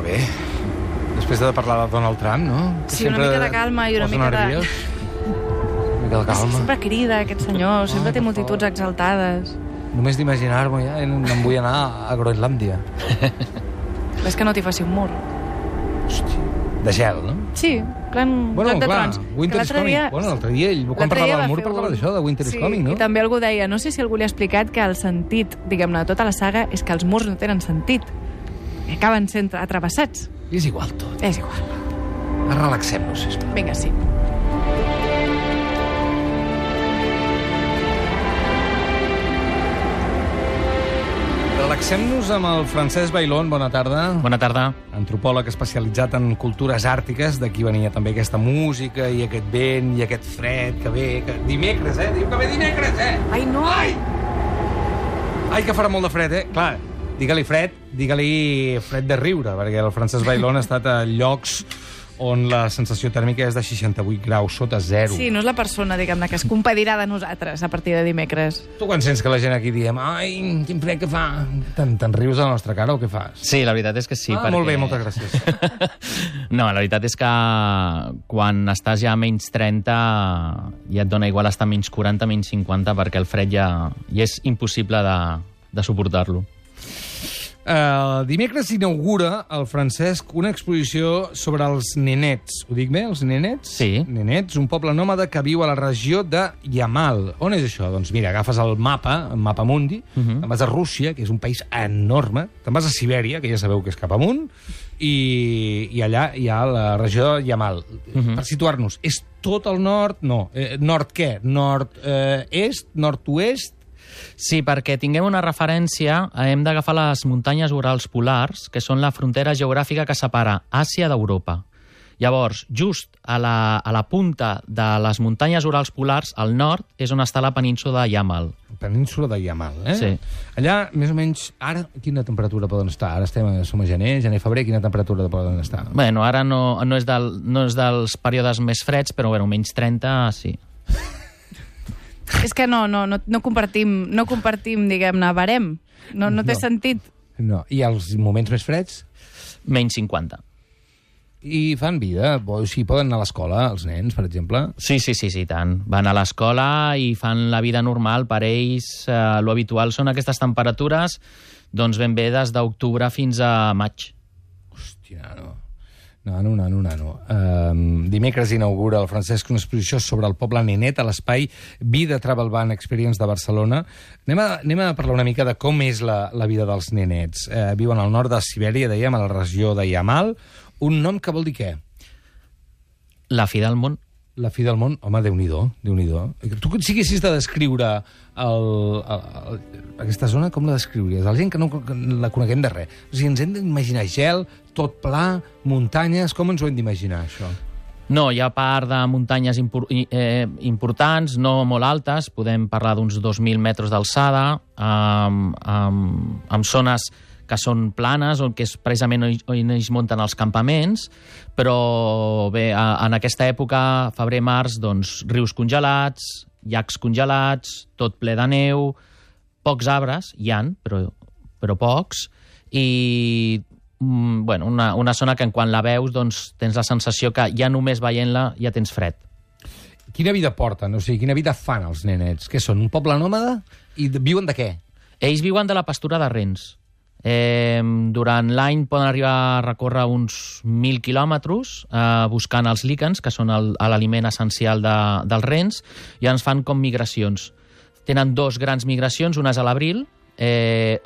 bé. Després de parlar de Donald Trump, no? Sí, una mica de calma i una mica de... Una mica de calma. Sempre crida, aquest senyor, sempre té multituds exaltades. Només d'imaginar-m'ho ja, em vull anar a Groenlàndia. És que no t'hi faci un mur. Hòstia, de gel, no? Sí, plan Joc de Trons. Winter is Coming. Bueno, l'altre dia, quan parlava del mur, parlava d'això, de Winter is Coming, no? I també algú deia, no sé si algú li ha explicat que el sentit, diguem-ne, de tota la saga és que els murs no tenen sentit. Que acaben sent atrevessats. És igual tot. És igual. Relaxem-nos, sisplau. Vinga, sí. Relaxem-nos amb el Francesc Bailón. Bona tarda. Bona tarda. Antropòleg especialitzat en cultures àrtiques. D'aquí venia també aquesta música i aquest vent i aquest fred que ve... Dimecres, Diu que ve dimecres, Ai, no! Ai, que farà molt de fred, Clar, digue-li fred de riure, perquè el Francesc Bailón ha estat a llocs on la sensació tèrmica és de 68 graus sota zero. Sí, no és la persona, diguem-ne, que es compadirà de nosaltres a partir de dimecres. Tu quan sents que la gent aquí diem ai, quin fred que fa, te'n rius a la nostra cara o què fas? Sí, la veritat és que sí. Molt bé, moltes gràcies. No, la veritat és que quan estàs ja a menys 30 ja et dona igual estar a menys 40, menys 50, perquè el fred ja és impossible de suportar-lo. Dimecres inaugura el Francesc una exposició sobre els nenets. Ho dic bé, els nenets? Sí. Nenets, un poble nòmada que viu a la regió de Yamal. On és això? Doncs mira, agafes el mapa mundi, te'n vas a Rússia, que és un país enorme, te'n vas a Sibèria, que ja sabeu que és cap amunt, i allà hi ha la regió de Yamal. Per situar-nos, és tot el nord? No. Nord què? Nord-est? Nord-oest? Sí, perquè tinguem una referència, hem d'agafar les muntanyes Urals polars, que són la frontera geogràfica que separa Àsia d'Europa. Llavors, just a la punta de les muntanyes Urals polars, al nord, és on està la península de Yamal. Península de Yamal, Sí. Allà, més o menys, ara, quina temperatura poden estar? Ara som a gener, febrer, quina temperatura poden estar? Bueno, ara no és dels períodes més freds, però bueno, menys 30, sí. És que no compartim, diguem-ne, barem. No té sentit. No. I els moments més freds? Menys 50. I fan vida? O sigui, poden anar a l'escola, els nens, per exemple? Sí, tant. Van a l'escola i fan la vida normal. Per ells, lo habitual són aquestes temperatures, doncs ben bé des d'octubre fins a maig. Hòstia, no. Dimecres inaugura el Francesc una exposició sobre el poble nenet a l'espai Vida Travel Ban Experience de Barcelona. Anem a parlar una mica de com és la vida dels nenets. Viuen al nord de Sibèria, dèiem, a la regió de Yamal. Un nom que vol dir què? La fi del món. La fi del món? Home, Déu-n'hi-do. Tu, si haguessis de descriure aquesta zona, com la descriuries? La gent que no la coneguem de res. O sigui, ens hem d'imaginar gel, tot pla, muntanyes... Com ens ho hem d'imaginar, això? No, hi ha part de muntanyes importants, no molt altes. Podem parlar d'uns 2.000 metres d'alçada, amb zones que són planes, que és precisament on ells munten els campaments, però bé, en aquesta època, febrer-març, doncs, rius congelats, llacs congelats, tot ple de neu, pocs arbres, hi ha, però pocs, i bueno, una zona que quan la veus doncs, tens la sensació que ja només veient-la ja tens fred. Quina vida porten? O sigui, quina vida fan els nenets? Què són, un poble nòmada? I viuen de què? Ells viuen de la pastura de rens. Durant l'any poden arribar a recórrer uns 1.000 quilòmetres buscant els líquens, que són l'aliment essencial dels rens, i ens fan com migracions. Tenen dos grans migracions, una és a l'abril,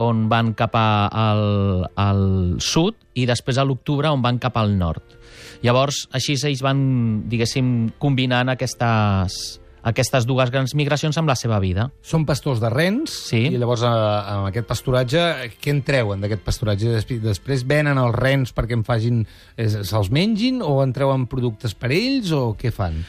on van cap al sud, i després a l'octubre, on van cap al nord. Llavors, així ells van, diguéssim, combinant aquestes dues grans migracions amb la seva vida. Són pastors de rens, sí. I llavors amb aquest pasturatge, què en treuen d'aquest pasturatge? Després venen els rens perquè se'ls mengin, o en treuen productes per ells, o què fan?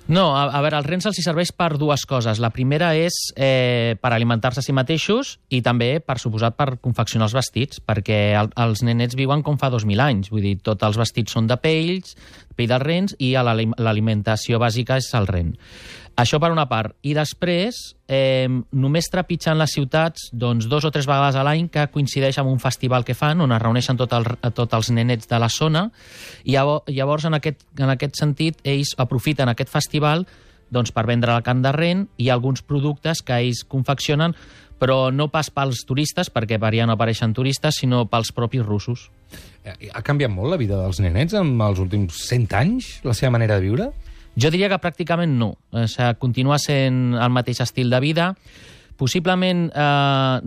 No, a veure, els rens els serveix per dues coses. La primera és per alimentar-se a si mateixos i també, per suposat, per confeccionar els vestits, perquè els nenets viuen com fa 2.000 anys. Vull dir, tots els vestits són de pells pell dels rens i l'alimentació bàsica és el ren. Això per una part. I després, només trepitjant les ciutats 2 o 3 vegades a l'any, que coincideix amb un festival que fan, on es reuneixen tots els nenets de la zona, i llavors, en aquest sentit, ells aprofiten aquest festival per vendre la carn de ren i alguns productes que ells confeccionen, però no pas pels turistes, perquè per allà no apareixen turistes, sinó pels propis russos. Ha canviat molt la vida dels nenets en els últims 100 anys, la seva manera de viure? Jo diria que pràcticament no. O sigui, continua sent el mateix estil de vida. Possiblement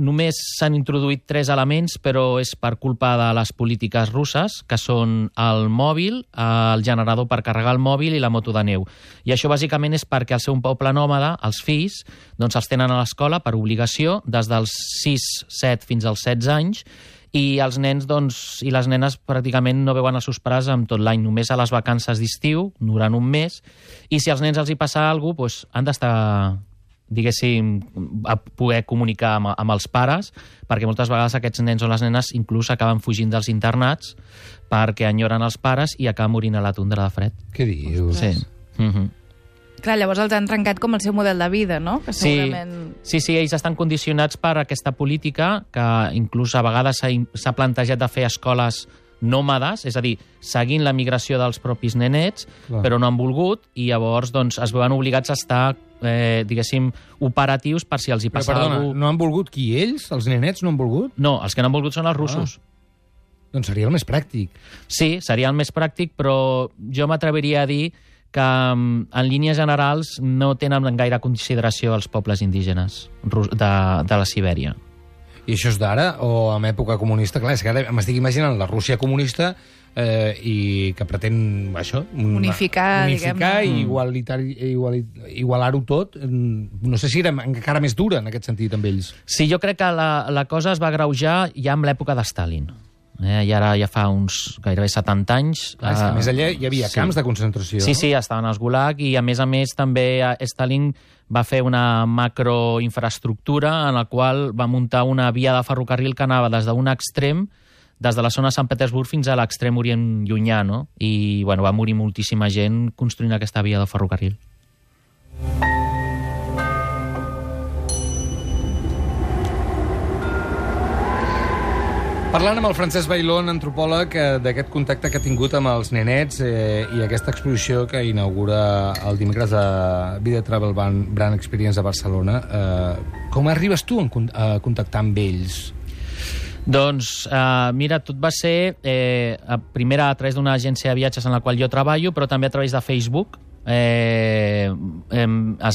només s'han introduït 3 elements, però és per culpa de les polítiques russes, que són el mòbil, el generador per carregar el mòbil i la moto de neu. I això bàsicament és perquè al seu poble nòmada, els fills, els tenen a l'escola per obligació des dels 6, 7 fins als 16 anys, i els nens i les nenes pràcticament no veuen els seus pares amb tot l'any, només a les vacances d'estiu, durant un mes, i si als nens els hi passa alguna cosa, han d'estar, diguéssim, a poder comunicar amb els pares, perquè moltes vegades aquests nens o les nenes inclús acaben fugint dels internats perquè enyoren els pares i acaben morint a la tundra de fred. Què dius? Sí. Clar, llavors els han trencat com el seu model de vida, no? Que segurament... Sí, ells estan condicionats per aquesta política que inclús a vegades s'ha plantejat de fer escoles nòmades, és a dir, seguint la migració dels propis nenets, però no han volgut, i llavors es veuen obligats a estar, diguéssim, operatius per si els hi passa alguna cosa. No han volgut qui? Ells? Els nenets no han volgut? No, els que no han volgut són els russos. Doncs seria el més pràctic. Sí, seria el més pràctic, però jo m'atreviria a dir que en línies generals no tenen gaire consideració els pobles indígenes de la Sibèria. I això és d'ara o en època comunista? Clar, és que ara m'estic imaginant la Rússia comunista i que pretén això, unificar i igualar-ho tot. No sé si era encara més dura en aquest sentit amb ells. Sí, jo crec que la cosa es va agreujar ja amb l'època de Stalin. I ara ja fa uns gairebé 70 anys. Clar, és que més allà hi havia camps de concentració. Sí, estaven als Gulag, i a més també Stalin va fer una macroinfraestructura en la qual va muntar una via de ferrocarril que anava des d'un extrem, des de la zona de Sant Petersburg fins a l'extrem orient llunyà, no? I va morir moltíssima gent construint aquesta via de ferrocarril. Parlant amb el Francesc Bailón, antropòleg, d'aquest contacte que ha tingut amb els nenets i aquesta exposició que inaugura el dimecres a Vida Travel Brand Experience a Barcelona, com arribes tu a contactar amb ells? Doncs, mira, tot va ser primer a través d'una agència de viatges en la qual jo treballo, però també a través de Facebook. Es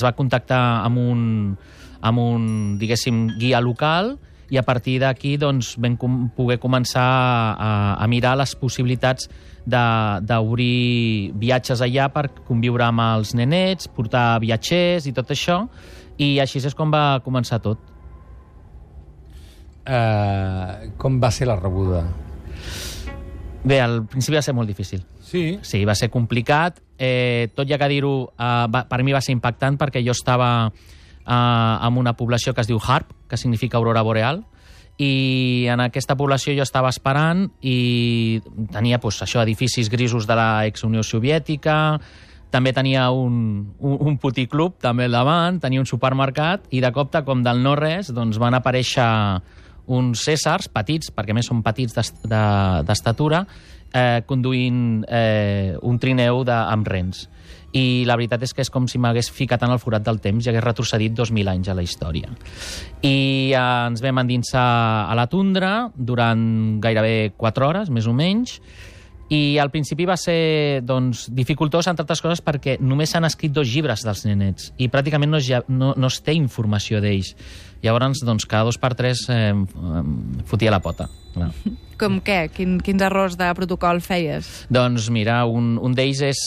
va contactar amb un diguéssim, guia local, i a partir d'aquí vam poder començar a mirar les possibilitats d'obrir viatges allà per conviure amb els nenets, portar viatgers i tot això, i així és com va començar tot. Com va ser la rebuda? Bé, al principi va ser molt difícil. Sí? Sí, va ser complicat. Tot i que dir-ho, per mi va ser impactant perquè jo estava en una població que es diu Harp, que significa aurora boreal, i en aquesta població jo estava esperant i tenia això, edificis grisos de la ex-Unió Soviètica, també tenia un puticlub també al davant, tenia un supermercat, i de cop, com del no-res, van aparèixer uns cèsars petits, perquè a més són petits d'estatura, conduint un trineu amb rens. I la veritat és que és com si m'hagués ficat en el forat del temps i hagués retrocedit 2.000 anys a la història. I ens vam endinsar a la tundra durant gairebé 4 hores, més o menys, i al principi va ser dificultós, entre altres coses, perquè només s'han escrit 2 llibres dels nenets i pràcticament no es té informació d'ells. Llavors, cada 2 per 3 fotia la pota. Clar. Com què? Quins errors de protocol feies? Doncs mira, un d'ells és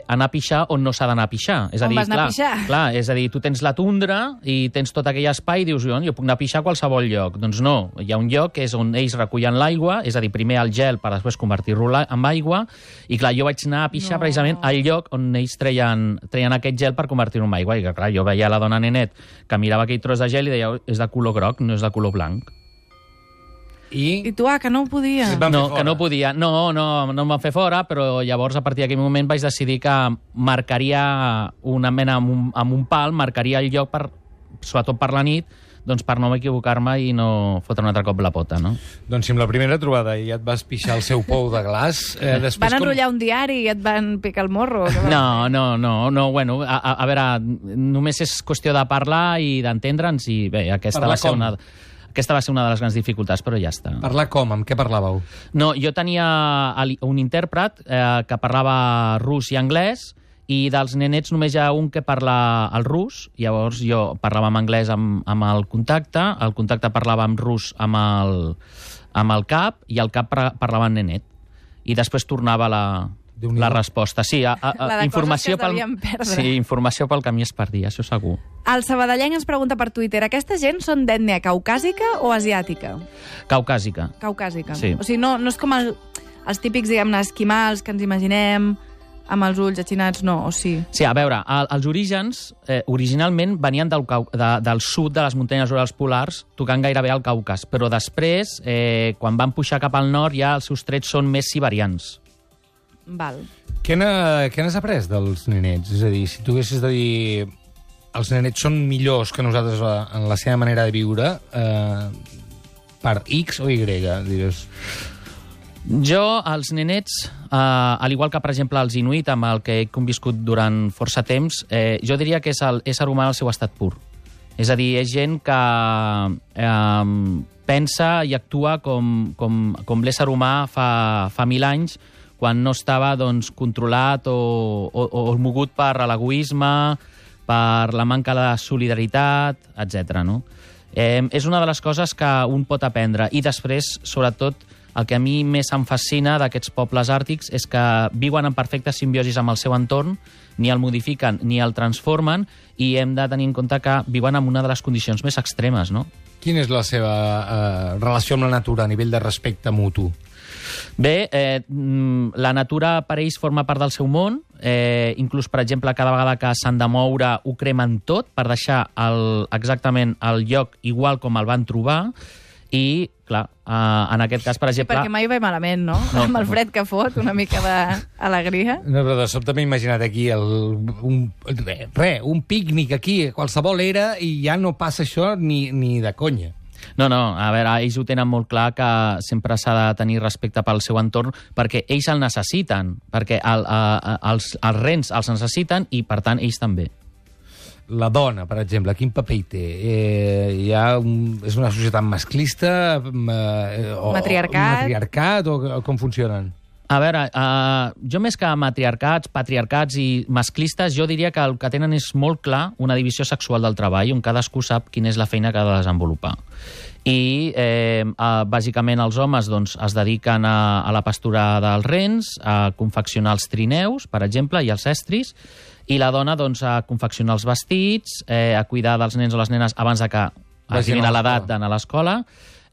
anar a pixar on no s'ha d'anar a pixar. On vas anar a pixar? Clar, és a dir, tu tens la tundra i tens tot aquell espai i dius, jo puc anar a pixar a qualsevol lloc. Doncs no, hi ha un lloc que és on ells recullen l'aigua, és a dir, primer el gel per després convertir-lo en aigua, i clar, jo vaig anar a pixar precisament al lloc on ells treien aquest gel per convertir-lo en aigua, i clar, jo veia la dona nenet que mirava aquell tros de gel i deia, és de color groc, no és de color blanc. I tu, que no podia. No, que no podia. No em van fer fora, però llavors, a partir d'aquell moment, vaig decidir que marcaria una mena amb un pal, marcaria el lloc, sobretot per la nit, doncs per no equivocar-me i no fotre un altre cop la pota, no? Doncs si amb la primera trobada ja et vas pixar el seu pou de glaç... després van enrotllar un diari i et van picar el morro? No, bueno, a veure, només és qüestió de parlar i d'entendre'ns i bé, aquesta va ser una de les grans dificultats, però ja està. Parlar com? Amb què parlàveu? No, jo tenia un intèrpret que parlava rus i anglès, i dels nenets només hi ha un que parla el rus, llavors jo parlava en anglès amb el contacte parlava en rus amb el cap, i el cap parlava en nenet. I després tornava la resposta. Sí, informació informació pel camí es perdia, això segur. El sabadellenc ens pregunta per Twitter, aquesta gent són d'ètnia caucàsica o asiàtica? Caucàsica. Caucàsica. Sí. O sigui, no és com els típics, diguem-ne, esquimals que ens imaginem, amb els ulls achinats, no, o sí? Sí, a veure, els orígens originalment venien del sud de les muntanyes urals polars, tocant gairebé al Caucas, però després, quan van pujar cap al nord, ja els seus trets són més siberians. Val. Què n'has après dels nenets? És a dir, si tu haguessis de dir els nenets són millors que nosaltres en la seva manera de viure, per X o Y, dius... Jo, els nenets, al igual que, per exemple, els inuit, amb el que he conviscut durant força temps, jo diria que és l'ésser humà en el seu estat pur. És a dir, és gent que pensa i actua com l'ésser humà fa 1000 anys, quan no estava controlat o mogut per l'egoisme, per la manca de solidaritat, etc. No? És una de les coses que un pot aprendre. I després, sobretot, el que a mi més em fascina d'aquests pobles àrtics és que viuen en perfecta simbiosi amb el seu entorn, ni el modifiquen ni el transformen, i hem de tenir en compte que viuen en una de les condicions més extremes, no? Quina és la seva relació amb la natura a nivell de respecte mutu? Bé, la natura per ells forma part del seu món, inclús, per exemple, cada vegada que s'han de moure ho cremen tot per deixar exactament el lloc igual com el van trobar. I, clar, en aquest cas, per exemple... Sí, perquè mai ve malament, no? Amb el fred que fot, una mica d'alegria. No, però de sobte m'he imaginat aquí un pícnic aquí, qualsevol era, i ja no passa això ni de conya. No, a veure, ells ho tenen molt clar que sempre s'ha de tenir respecte pel seu entorn, perquè ells el necessiten, perquè els rens els necessiten i, per tant, ells també. La dona, per exemple, quin paper hi té? És una societat masclista? Matriarcat? O com funcionen? A veure, jo més que matriarcats, patriarcats i masclistes, jo diria que el que tenen és molt clar una divisió sexual del treball, on cadascú sap quina és la feina que ha de desenvolupar. I, bàsicament, els homes es dediquen a la pastura dels rens, a confeccionar els trineus, per exemple, i els estris, i la dona a confeccionar els vestits, a cuidar dels nens o les nenes abans que arribin a l'edat d'anar a l'escola,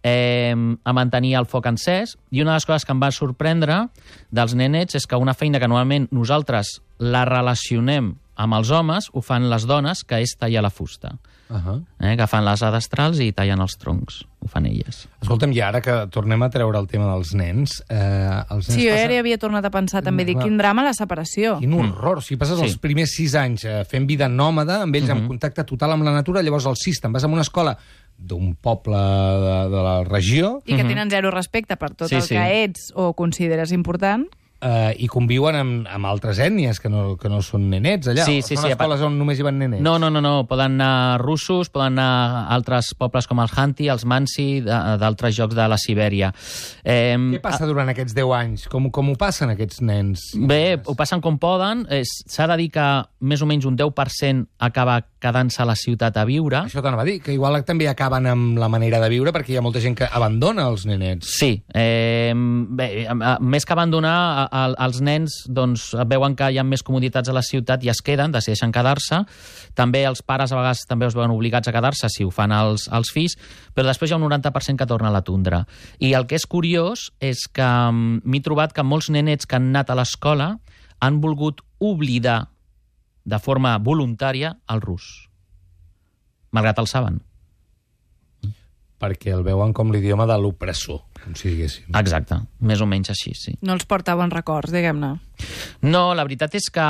a mantenir el foc encès. I una de les coses que em va sorprendre dels nenets és que una feina que normalment nosaltres la relacionem amb els homes, ho fan les dones, que és tallar la fusta. Agafen les adestrals i tallen els troncs. Ho fan elles. Escolta'm, i ara que tornem a treure el tema dels nens... Sí, jo ja havia tornat a pensar també, dir, quin drama la separació. Quin horror. Si passes els primers 6 anys fent vida nòmada, amb ells en contacte total amb la natura, llavors als 6 te'n vas a una escola d'un poble de la regió... I que tenen zero respecte per tot el que ets o consideres important... I conviuen amb altres ètnies que no són nenets allà. Són escoles on només hi van nenets. No. Poden anar russos, poden anar a altres pobles com el Hanti, els Mansi, d'altres llocs de la Sibèria. Què passa durant aquests 10 anys? Com ho passen aquests nens? Bé, ho passen com poden. S'ha de dir que més o menys un 10% acaba quedant-se a la ciutat a viure. Això t'anava a dir, que igual també acaben amb la manera de viure perquè hi ha molta gent que abandona els nenets. Sí. Bé, més que abandonar, els nens veuen que hi ha més comoditats a la ciutat i es queden, decideixen quedar-se. També els pares a vegades també es veuen obligats a quedar-se si ho fan els fills, però després hi ha un 90% que torna a la tundra. I el que és curiós és que m'he trobat que molts nenets que han anat a l'escola han volgut oblidar de forma voluntària el rus, malgrat el saben. perquè el veuen com l'idioma de l'opressor, com si diguéssim. Exacte, més o menys així, sí. No els porta bons records, diguem-ne. No, la veritat és que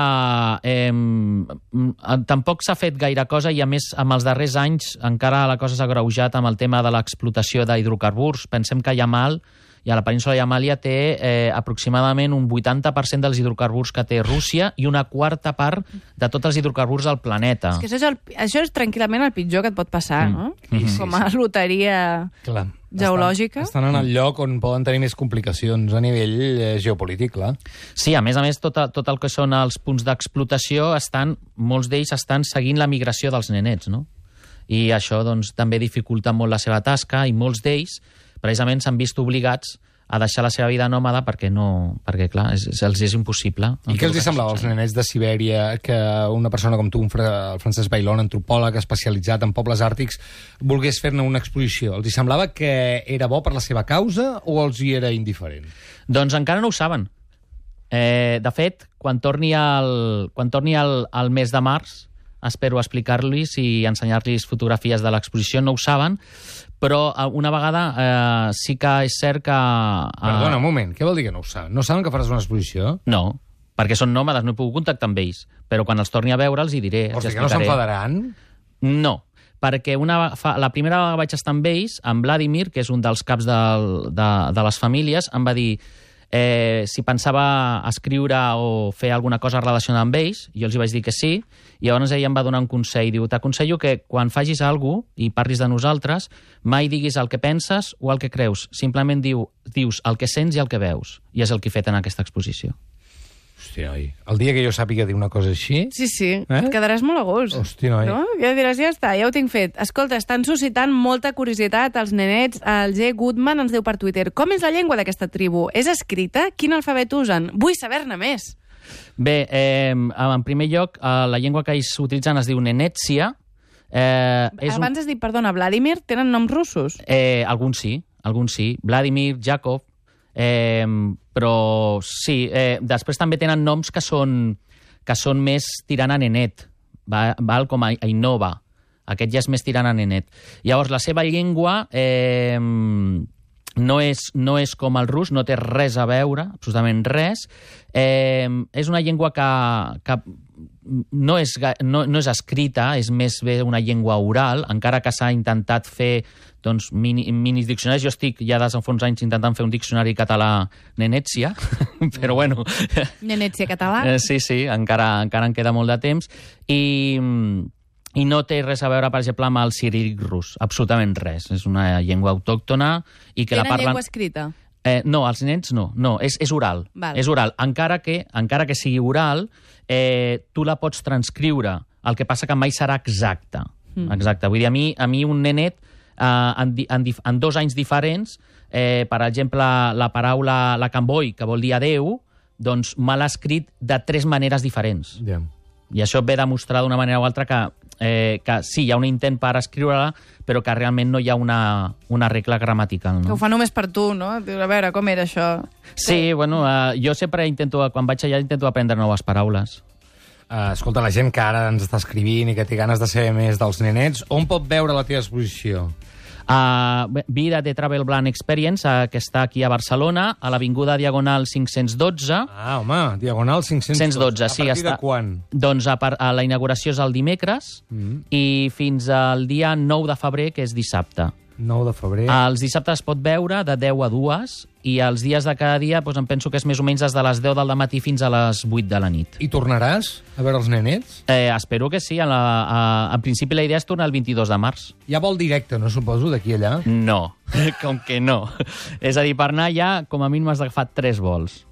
tampoc s'ha fet gaire cosa i, a més, amb els darrers anys encara la cosa s'ha agreujat amb el tema de l'explotació d'hidrocarburs. Pensem que Yamal, i a la península de Yamàlia, té aproximadament un 80% dels hidrocarburs que té Rússia i una quarta part de tots els hidrocarburs del planeta. És que això és tranquil·lament el pitjor que et pot passar, no? Com a loteria geològica. Estan en el lloc on poden tenir més complicacions a nivell geopolític, clar. Sí, a més, tot el que són els punts d'explotació, molts d'ells estan seguint la migració dels nenets, no? I això doncs, també dificulta molt la seva tasca i molts d'ells precisament s'han vist obligats a deixar la seva vida nòmada perquè, clar, els és impossible. I què els semblava als nenets de Sibèria que una persona com tu, el Francesc Bailón, antropòleg especialitzat en pobles àrtics, volgués fer-ne una exposició? Els semblava que era bo per la seva causa o els hi era indiferent? Doncs encara no ho saben. De fet, quan torni al mes de març, espero explicar-los i ensenyar-los fotografies de l'exposició. No ho saben, però una vegada sí que és cert que... Perdona, un moment, què vol dir que no ho saben? No saben que faràs una exposició? No, perquè són nòmades, no he pogut contactar amb ells, però quan els torni a veure els hi diré. O sigui que no s'enfadaran? No, perquè la primera vegada que vaig estar amb ells, amb Vladimir, que és un dels caps de les famílies, em va dir si pensava escriure o fer alguna cosa relacionada amb ells, i jo els hi vaig dir que sí, i llavors ell em va donar un consell. Diu, t'aconsello que quan facis alguna cosa i parlis de nosaltres, mai diguis el que penses o el que creus. Simplement dius el que sents i el que veus. I és el que he fet en aquesta exposició. Hòstia, noi, el dia que jo sàpiga dir una cosa així... Sí, et quedaràs molt a gust. Hòstia, noi. No? Ja diràs, ja està, ja ho tinc fet. Escolta, estan suscitant molta curiositat els nenets. El G. Goodman ens diu per Twitter: com és la llengua d'aquesta tribu? És escrita? Quin alfabet usen? Vull saber-ne més. Bé, en primer lloc, la llengua que ells utilitzen es diu Nenetsia. Abans has dit, perdona, Vladimir, tenen noms russos? Alguns sí. Vladimir, Jakov... però sí, després també tenen noms que són més tirant a nenet, val? Com a Ainova. Aquest ja és més tirant a nenet. Llavors, la seva llengua no és com el rus, no té res a veure, absolutament res. És una llengua que no és escrita, és més bé una llengua oral, encara que s'ha intentat fer minis diccionaris. Jo estic ja des de fa uns anys intentant fer un diccionari català Nenetsia, però bueno... Nenetsia català? Sí, encara en queda molt de temps. I no té res a veure, per exemple, amb el ciríl·lic rus. Absolutament res. És una llengua autòctona i que la parlen... Tenen llengua escrita? No, els nens no, és oral. Val. És oral. Encara que sigui oral, tu la pots transcriure. El que passa que mai serà exacta. Exacte. Vull dir, a mi un nenet, en 2 anys diferents, per exemple, la paraula la Camboi, que vol dir adeu, doncs me l'ha escrit de 3 maneres diferents. Yeah. I això ve a demostrar d'una manera o altra que sí, hi ha un intent per escriure-la, però que realment no hi ha una regla gramatical. No? Que ho fa només per tu, no? A veure, com era això? Sí, bueno, jo sempre quan vaig allà intento aprendre noves paraules. Escolta, la gent que ara ens està escrivint i que té ganes de saber més dels nenets, on pot veure la teva exposició? Vida de Travel Blanc Experience, que està aquí a Barcelona, a l'Avinguda Diagonal 512. Ah, home, Diagonal 512. Sí, a partir de quan? Doncs la inauguració és el dimecres i fins al dia 9 de febrer, que és dissabte. 9 de febrer. Els dissabtes es pot veure de 10 a 2 i els dies de cada dia doncs em penso que és més o menys des de les 10 del matí fins a les 8 de la nit. I tornaràs a veure els nenets? Espero que sí. En principi la idea és tornar el 22 de març. Hi ha vol directe, no suposo, d'aquí a allà? No, com que no. És a dir, per anar allà com a mínim has d'agafar 3 vols.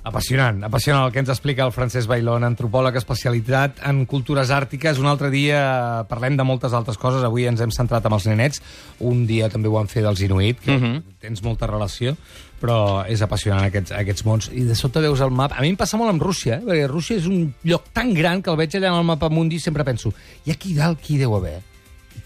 Apassionant el que ens explica el Francesc Bailón, antropòleg especialitzat en cultures àrtiques. Un altre dia parlem de moltes altres coses. Avui ens hem centrat en els nenets. Un dia també ho vam fer dels inuit, que tens molta relació, però és apassionant aquests mons. I de sobte veus el mapa. A mi em passa molt amb Rússia, perquè Rússia és un lloc tan gran que el veig allà en el mapa mundi i sempre penso, i aquí dalt qui deu haver?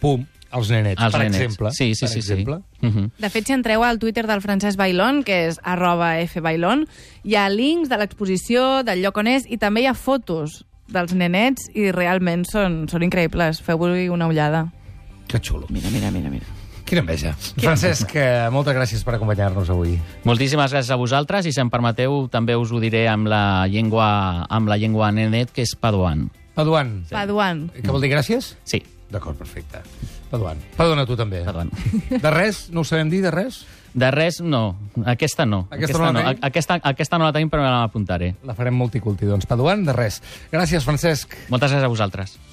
Pum, els nenets, per exemple. Sí. De fet, si entreu al Twitter del Francesc Bailón, que és @fbailón, hi ha links de l'exposició, del lloc on és, i també hi ha fotos dels nenets i realment són increïbles. Feu-hi una ullada. Que xulo. Mira. Quina enveja. Francesc, moltes gràcies per acompanyar-nos avui. Moltíssimes gràcies a vosaltres i, si em permeteu, també us ho diré amb la llengua nenet, que és paduan. Paduan. Paduan. Què vol dir gràcies? Sí. D'acord, perfecte. Paduan. Perdona tu també. Paduan. De res? No ho sabem dir, de res? De res, no. Aquesta no. Aquesta no la tenim, però me l'apuntaré. La farem multiculti, doncs. Paduan, de res. Gràcies, Francesc. Moltes gràcies a vosaltres.